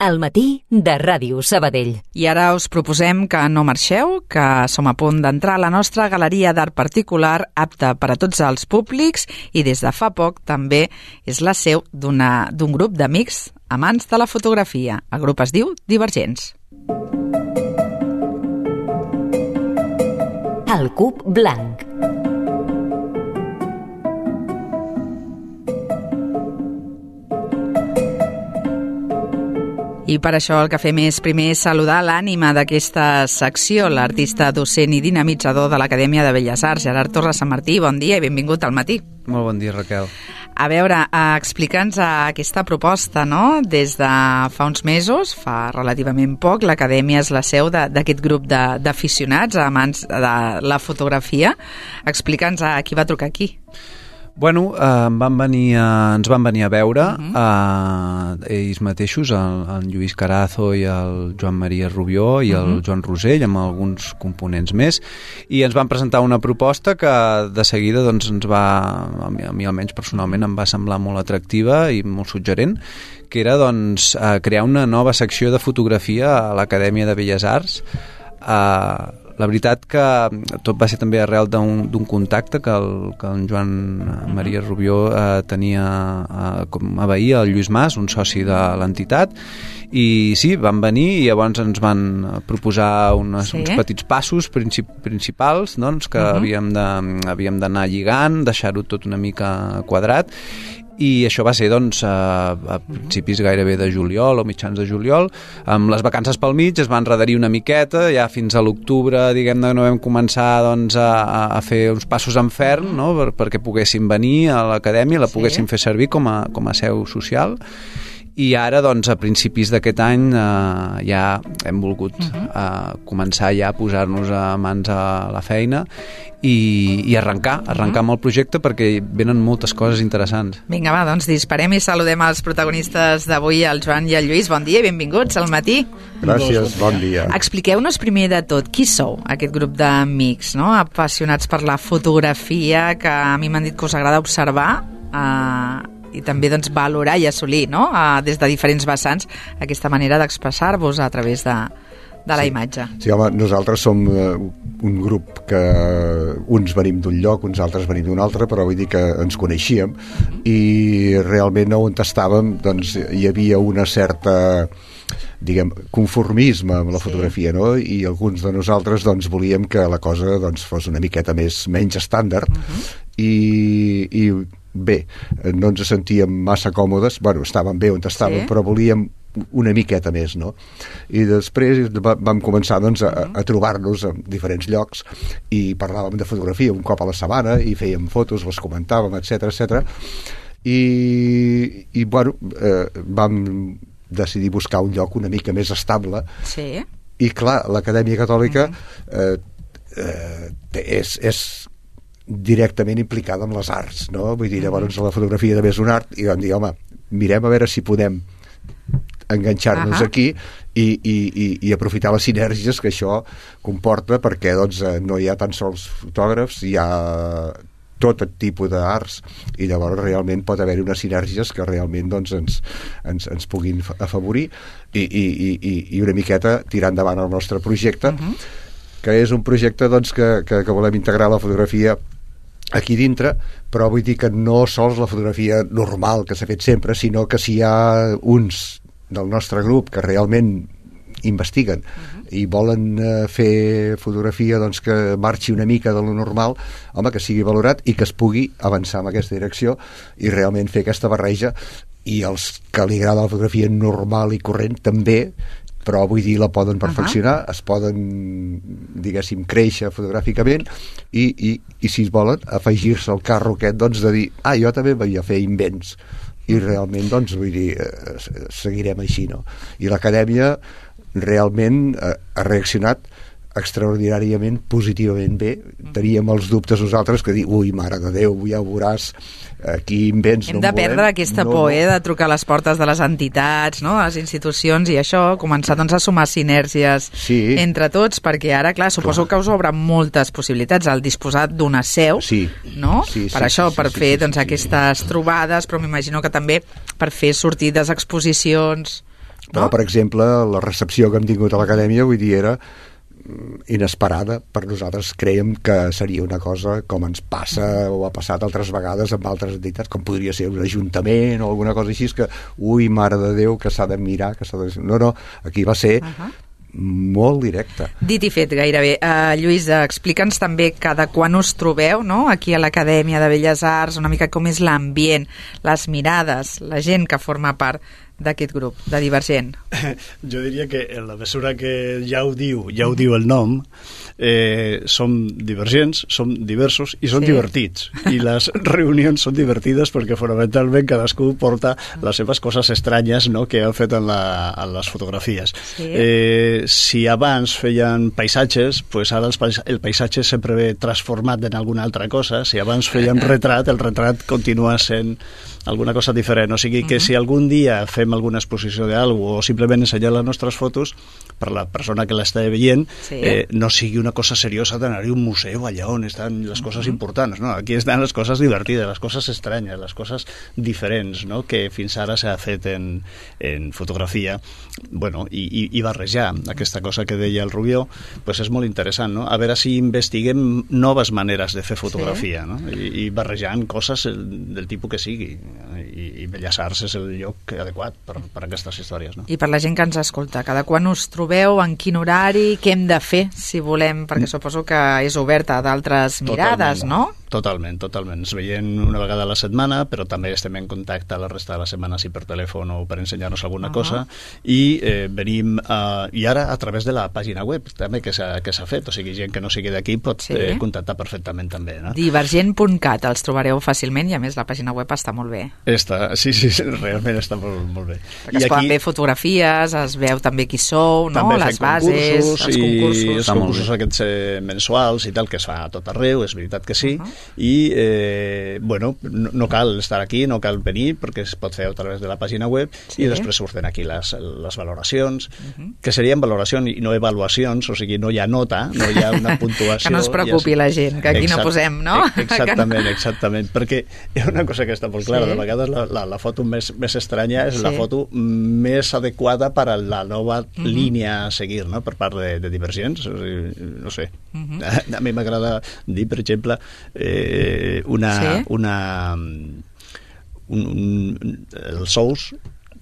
Al matí de Ràdio Sabadell. I ara us proposem que no marxeu, que som a punt d'entrar a la nostra galeria d'art particular apta per a tots els públics i des de fa poc també és la seu d'un grup d'amics amants de la fotografia. El grup es diu Divergents. El Cub Blanc. I per això el que fem és primer saludar l'ànima d'aquesta secció, l'artista docent i dinamitzador de l'Acadèmia de Belles Arts, Gerard Torres Sant Martí. Bon dia i benvingut al matí. Molt bon dia, Raquel. A veure, explica'ns aquesta proposta, no? Des de fa uns mesos, fa relativament poc, l'Acadèmia és la seu d'aquest grup d'aficionats, amants de la fotografia. Explica'ns a qui va trucar aquí. Bueno, ens van venir a veure ells mateixos, el Lluís Carazo i el Joan Maria Rubió i el Joan Rosell, amb alguns components més, i ens van presentar una proposta que de seguida doncs, a mi almenys personalment em va semblar molt atractiva i molt suggerent, que era doncs, crear una nova secció de fotografia a l'Acadèmia de Belles Arts. La veritat que tot va ser també arrel d'un contacte que en Joan Maria Rubió tenia com a veí, el Lluís Mas, un soci de l'entitat, i sí, van venir i llavors ens van proposar uns petits passos principals, doncs, que havíem d'anar lligant, deixar-ho tot una mica quadrat. I això va ser doncs, a principis gairebé de juliol o mitjans de juliol. Amb les vacances pel mig es va enredarir una miqueta, ja fins a l'octubre, diguem-ne, no vam començar doncs, a fer uns passos en ferm, no? perquè poguessin venir a l'acadèmia, la poguessin fer servir com a seu social. I ara, doncs, a principis d'aquest any ja hem volgut començar ja a posar-nos a mans a la feina i arrencar amb el projecte perquè venen moltes coses interessants. Vinga, va, doncs disparem i saludem els protagonistes d'avui, el Joan i el Lluís. Bon dia i benvinguts al matí. Gràcies, bon dia. Expliqueu-nos primer de tot qui sou, aquest grup d'amics, no? Apassionats per la fotografia, que a mi m'han dit que us agrada observar i també doncs, valorar i assolir, no? Des de diferents vessants, aquesta manera d'expressar-vos a través de la imatge. Sí, home, nosaltres som un grup que uns venim d'un lloc, uns altres venim d'un altre, però vull dir que ens coneixíem i realment on estàvem doncs, hi havia una certa conformisme amb la fotografia, no? I alguns de nosaltres doncs, volíem que la cosa doncs, fos una miqueta menys estàndard i bé, no ens sentíem massa còmodes, bueno, estàvem bé on estàvem, però volíem una miqueta més, no? I després vam començar doncs, a trobar-nos en diferents llocs i parlàvem de fotografia un cop a la setmana i fèiem fotos, les comentàvem, etc. I bueno, vam decidir buscar un lloc una mica més estable i clar, l'Acadèmia Catòlica és directament implicada amb les arts, no? Vull dir, llavors la fotografia també és un art i vam dir, home, mirem a veure si podem enganxar-nos aquí i aprofitar les sinergies que això comporta perquè doncs, no hi ha tan sols fotògrafs, hi ha tot tipus d'arts i llavors realment pot haver-hi unes sinergies que realment doncs, ens puguin afavorir i una miqueta tirar endavant el nostre projecte que és un projecte doncs, que volem integrar la fotografia aquí dintre, però vull dir que no sols la fotografia normal que s'ha fet sempre, sinó que si hi ha uns del nostre grup que realment investiguen i volen fer fotografia doncs, que marxi una mica de lo normal, home, que sigui valorat i que es pugui avançar en aquesta direcció i realment fer aquesta barreja i els que li agrada la fotografia normal i corrent també, però vull dir la poden perfeccionar, es poden diguéssim créixer fotogràficament i si es volen afegir-se al carro aquest doncs, de dir, jo també vaig a fer invents i realment doncs vull dir seguirem així, no? I l'Acadèmia realment ha reaccionat extraordinàriament positivament bé. Teníem els dubtes nosaltres que dir, ui, mare de Déu, ja ho veuràs, aquí invents hem de perdre aquesta por de trucar a les portes de les entitats, no? A les institucions i això, començar doncs, a sumar sinergies entre tots, perquè ara, clar, suposo que us obre moltes possibilitats al disposar d'una seu, no? Per fer doncs, aquestes trobades, però m'imagino que també per fer sortides, exposicions. Però, per exemple, la recepció que hem tingut a l'acadèmia, vull dir, era inesperada. Per nosaltres creiem que seria una cosa com ens passa o ha passat altres vegades amb altres entitats, com podria ser un ajuntament o alguna cosa així, que ui, mare de Déu, que s'ha de mirar, que s'ha de... No, aquí va ser molt directe. Dit i fet, gairebé. Lluís, explica'ns també cada quan us trobeu, no?, aquí a l'Acadèmia de Belles Arts, una mica com és l'ambient, les mirades, la gent que forma part d'aquest grup, de Divergent. Jo diria que en la mesura que ja ho diu el nom, som divergents, som diversos i som divertits. I les reunions són divertides perquè fonamentalment cadascú porta les seves coses estranyes, no?, que han fet en les fotografies. Si abans feien paisatges, pues ara el paisatge sempre ve transformat en alguna altra cosa. Si abans feien retrat, el retrat continua sent alguna cosa diferent. O sigui que si algun dia fem alguna exposició d'algú o simplement ensenyar les nostres fotos, per la persona que l'està veient, no sigui una cosa seriosa d'anar-hi a un museu allà on estan les coses importants, no? Aquí estan les coses divertides, les coses estranyes, les coses diferents, no?, que fins ara s'ha fet en fotografia. Bueno, i barrejar aquesta cosa que deia el Rubió, pues és molt interessant, no? A veure si investiguem noves maneres de fer fotografia, no? I barrejant coses del tipus que sigui. I Belles Arts és el lloc adequat per aquestes històries, no? I per la gent que ens escolta, cada quan us trobeu, en quin horari, què hem de fer si volem, perquè suposo que és oberta a d'altres mirades, no? Totalment. Ens veiem una vegada a la setmana, però també estem en contacte la resta de la setmana, si per telèfon o per ensenyar-nos alguna cosa, i venim, i ara a través de la pàgina web també que s'ha fet, o sigui, gent que no sigui d'aquí pot contactar perfectament també, no? Divergent.cat, els trobareu fàcilment, i a més la pàgina web està molt bé. Sí, realment està molt bé. Perquè es poden ver fotografies, es veu també qui sou, no? Les bases, els concursos. I els concursos aquests mensuals i tal, que es fa a tot arreu, és veritat que sí, i bueno, no cal estar aquí, no cal venir, perquè es pot fer a través de la pàgina web, i després surten aquí les valoracions, que serien valoracions i no avaluacions, o sigui, no hi ha nota, no hi ha una puntuació. Que no es preocupi la gent, que aquí no posem, no? Exactament, perquè hi ha una cosa que està molt clara, de vegades la foto més estranya és la foto més adequada per a la nova línia a seguir, no?, per part de Divergents. No sé, a mi m'agrada dir, per exemple, els ous,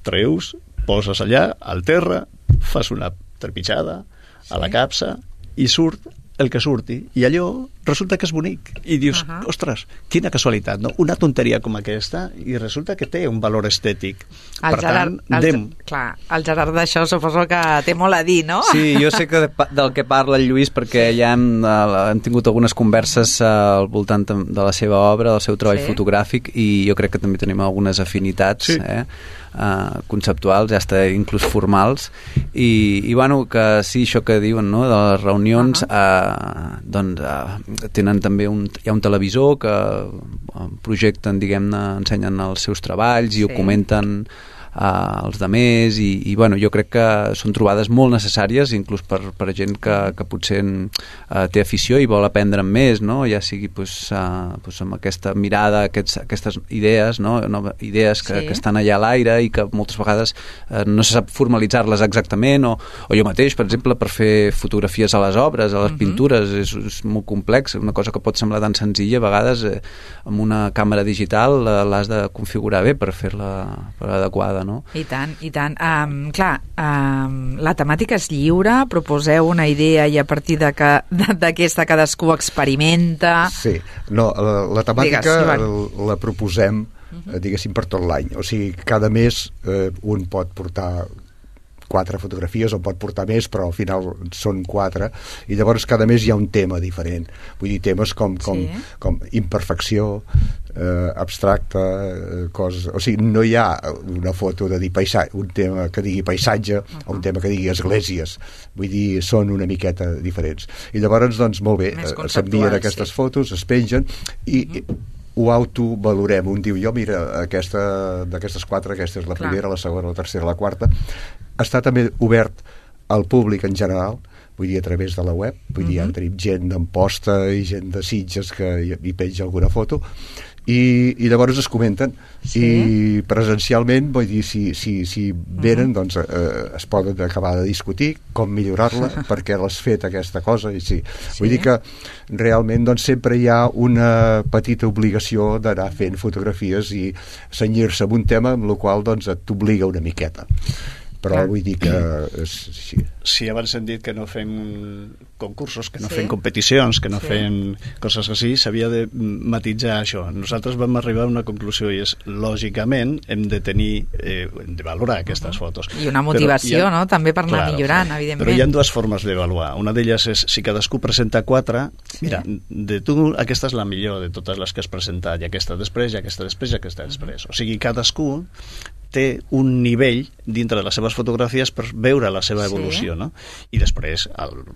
treus, poses allà al terra, fas una trepitjada a la capsa i surt el que surti, i allò resulta que és bonic, i dius, ostres, quina casualitat, no? Una tonteria com aquesta, i resulta que té un valor estètic. Per tant, el Gerard d'això suposo que té molt a dir, no? Sí, jo sé que del que parla el Lluís, perquè ja hem tingut algunes converses al voltant de la seva obra, del seu treball fotogràfic, i jo crec que també tenim algunes afinitats conceptuals, ja està inclús formals, i bueno, que sí, això que diuen, no?, de les reunions, tenen també hi ha un televisor que projecten, diguem-ne, ensenyen els seus treballs i ho comenten als demés, i bueno, jo crec que són trobades molt necessàries, inclús per gent que potser té afició i vol aprendre més, no?, ja sigui amb aquesta mirada, aquestes idees, no?, idees que estan allà a l'aire i que moltes vegades no se sap formalitzar-les exactament, o jo mateix, per exemple, per fer fotografies a les obres, a les pintures, és molt complex, una cosa que pot semblar tan senzilla, a vegades amb una càmera digital l'has de configurar bé per fer-la adequada, no? I tant. Clar, la temàtica és lliure, proposeu una idea i a partir d'aquesta cadascú experimenta... Sí, no, la temàtica la proposem, diguéssim, per tot l'any. O sigui, cada mes un pot portar 4 fotografies, o pot portar més, però al final són 4, i llavors cada mes hi ha un tema diferent. Vull dir, temes com imperfecció, abstracte, coses... O sigui, no hi ha una foto de dir un tema que digui paisatge o un tema que digui esglésies. Vull dir, són una miqueta diferents. I llavors, doncs, molt bé, s'envien aquestes fotos, es pengen, i ho autovalorem. Un diu, mira, d'aquestes 4, aquesta és la primera, la segona, la tercera, la quarta. Està també obert al públic en general, vull dir, a través de la web, vull dir, ja tenim gent d'Amposta i gent de Sitges que hi penja alguna foto, i llavors es comenten i presencialment, vull dir, si venen, doncs es poden acabar de discutir com millorar-la, perquè l'has fet aquesta cosa, i vull dir que realment doncs sempre hi ha una petita obligació d'anar fent fotografies i cenyir-se amb un tema amb el qual doncs t'obliga una miqueta, però vull dir que si abans hem dit que no fem concursos, que no fem competicions, que no fem coses així, s'havia de matitzar això. Nosaltres vam arribar a una conclusió i és, lògicament, hem de tenir, hem de valorar aquestes fotos. I una motivació, no?, també per anar millorant, evidentment. Però hi ha dues formes d'avaluar. Una d'elles és, si cadascú presenta 4, mira, de tu aquesta és la millor de totes les que has presentat, i aquesta després, i aquesta després, i aquesta després. O sigui, cadascú té un nivell dintre de les seves fotografies per veure la seva evolució, no? I després,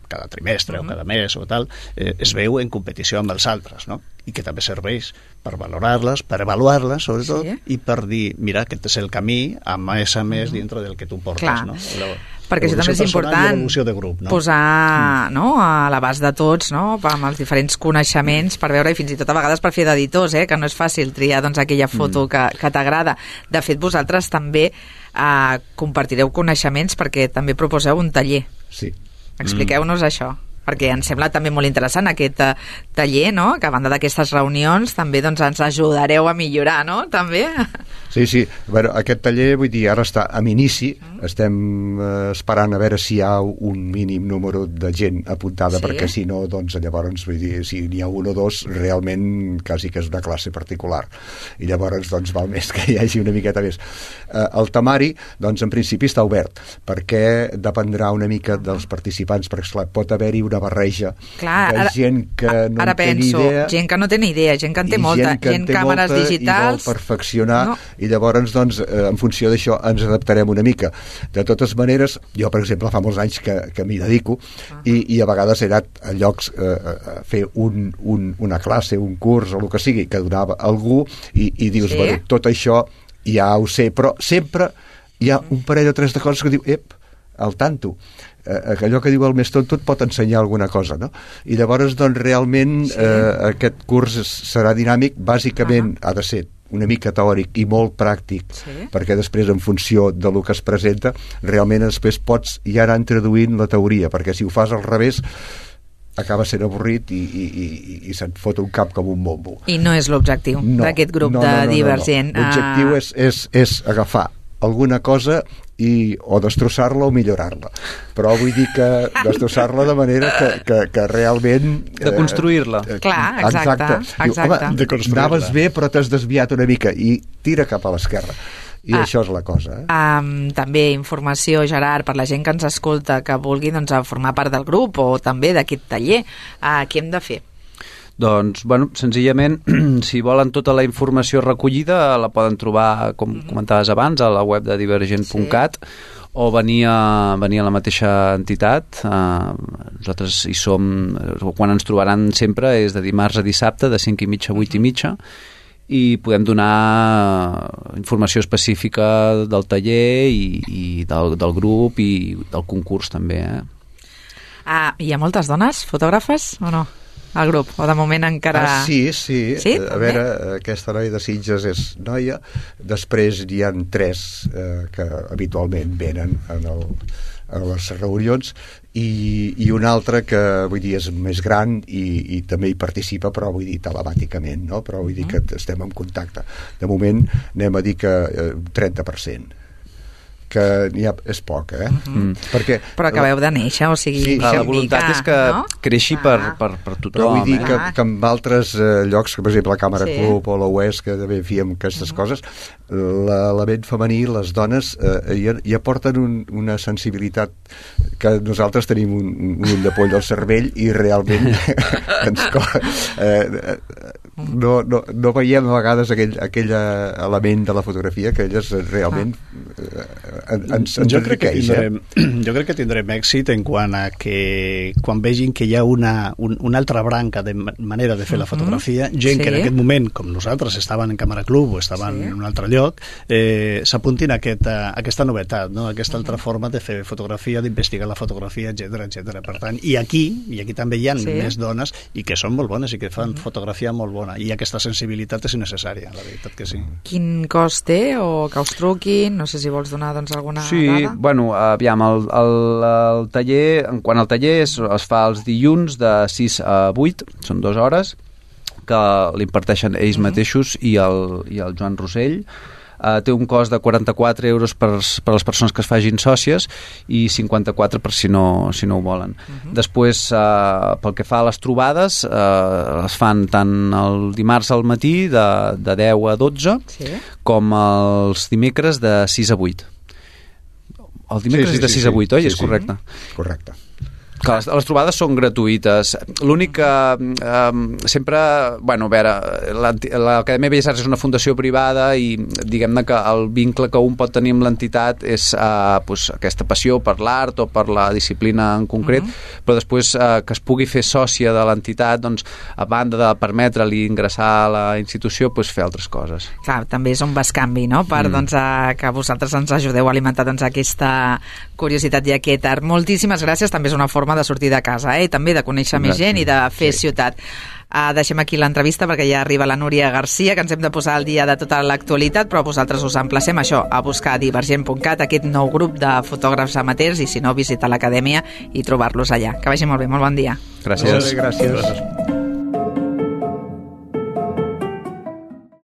cada trimestre o cada mes o tal, es veu en competició amb els altres, no? I que també serveix per valorar-les, per avaluar-les, sobretot, i per dir, mira, aquest és el camí a més dintre del que tu portes, no? Perquè això també és important, grup, no? Posar a l'abast de tots, no?, amb els diferents coneixements per veure, i fins i tot a vegades per fer d'editors, que no és fàcil triar doncs, aquella foto que t'agrada. De fet, vosaltres també compartireu coneixements perquè també proposeu un taller. Sí. Expliqueu-nos això, perquè ens sembla també molt interessant aquest taller, no?, que a banda d'aquestes reunions també doncs, ens ajudareu a millorar, no?, també. Sí. Bueno, aquest taller, vull dir, ara està en inici, estem esperant a veure si hi ha un mínim número de gent apuntada, perquè si no, doncs llavors, vull dir, si n'hi ha un o dos, realment quasi que és una classe particular. I llavors, doncs, val més que hi hagi una miqueta més. El temari, doncs, en principi està obert, perquè dependrà una mica dels participants, perquè, esclar, pot haver-hi una barreja de gent que no en té ni idea. Gent que no té ni idea, gent que en té molta, gent càmeres digitals... i vol perfeccionar, i llavors, doncs, en funció d'això ens adaptarem una mica. De totes maneres, jo, per exemple, fa molts anys que m'hi dedico, i a vegades he anat a llocs a fer una classe, un curs, o el que sigui, que donava algú, i dius, bueno, tot això ja ho sé, però sempre hi ha un parell o tres de coses que diu, al tanto, allò que diu el més tonto et pot ensenyar alguna cosa, no? I llavors, doncs, realment aquest curs serà dinàmic, bàsicament ha de ser una mica teòric i molt pràctic, perquè després, en funció de lo que es presenta, realment després pots ja anar introduint la teoria, perquè si ho fas al revés acaba sent avorrit i se't fot un cap com un bombo. I no és l'objectiu d'aquest grup de Divergent. L'objectiu és agafar alguna cosa o destrossar-la o millorar-la, però vull dir que destrossar-la de manera que realment de construir-la. Clar, exacte. Home, anaves bé però t'has desviat una mica i tira cap a l'esquerra, i això és la cosa. També informació, Gerard, per la gent que ens escolta, que vulgui doncs, formar part del grup o també d'aquest taller, què hem de fer? Doncs, bueno, senzillament, si volen tota la informació recollida, la poden trobar, com comentaves abans, a la web de divergent.cat, o venir a la mateixa entitat. Nosaltres hi som, quan ens trobaran sempre és de dimarts a dissabte, de 5:30 a 8:30, i podem donar informació específica del taller i del grup i del concurs també. Hi ha moltes dones fotògrafes o no? Al grup, o de moment encara... Sí. A veure, aquesta noia de Sitges és noia, després hi ha 3 que habitualment venen a les reunions, i un altre que, vull dir, és més gran i també hi participa, però vull dir telemàticament, no? Però vull dir que estem en contacte. De moment anem a dir que 30%. Que és poc, Perquè, però acabeu de néixer, o sigui... La voluntat és que creixi per tothom. Però vull dir que en altres llocs, que per exemple la Càmera Club o la UES, que també fèiem aquestes coses, l'element femení, les dones, hi aporten una sensibilitat que nosaltres tenim un ull de poll al cervell i realment no veiem a vegades aquell element de la fotografia que elles realment jo crec que tindrem èxit en quant a que quan vegin que hi ha una altra branca de manera de fer la fotografia, gent que en aquest moment, com nosaltres, estaven en Càmera Club o estaven en un altre lloc, s'apuntin a aquesta novetat, no? Aquesta altra forma de fer fotografia, d'investigar la fotografia, etc. Per tant, i aquí també hi ha més dones i que són molt bones i que fan fotografia molt bona, i aquesta sensibilitat és necessària, la veritat que sí. Quin cost té o que us truquin? No sé si vols donar alguna dada. Sí, bueno, aviam, el taller, en quant al taller es fa els dilluns de 6 a 8, són 2 hores, que l'imparteixen ells mateixos i el Joan Rosell. Té un cost de 44 euros per les persones que es fagin sòcies i 54 per si no ho volen. Després, pel que fa a les trobades, es fan tant el dimarts al matí de 10 a 12 com els dimecres de 6 a 8. El dimecres és de 6 a 8, oi? És correcte? Correcte. Que les trobades són gratuïtes. L'únic que sempre... Bueno, a veure, l'Acadèmia Belles Arts és una fundació privada i diguem-ne que el vincle que un pot tenir amb l'entitat és aquesta passió per l'art o per la disciplina en concret, però després que es pugui fer sòcia de l'entitat, doncs, a banda de permetre-li ingressar a la institució, fer altres coses. Clar, també és un bescanvi, no?, per que vosaltres ens ajudeu a alimentar aquesta curiositat i aquest art. Moltíssimes gràcies, també és una forma de sortir de casa, i també de conèixer més gent i de fer ciutat. Deixem aquí l'entrevista perquè ja arriba la Núria Garcia, que ens hem de posar al dia de tota l'actualitat, però vosaltres us emplacem a buscar a divergent.cat aquest nou grup de fotògrafs amateurs i si no, visitar l'acadèmia i trobar-los allà. Que vagi molt bé, molt bon dia. Gràcies. Gràcies.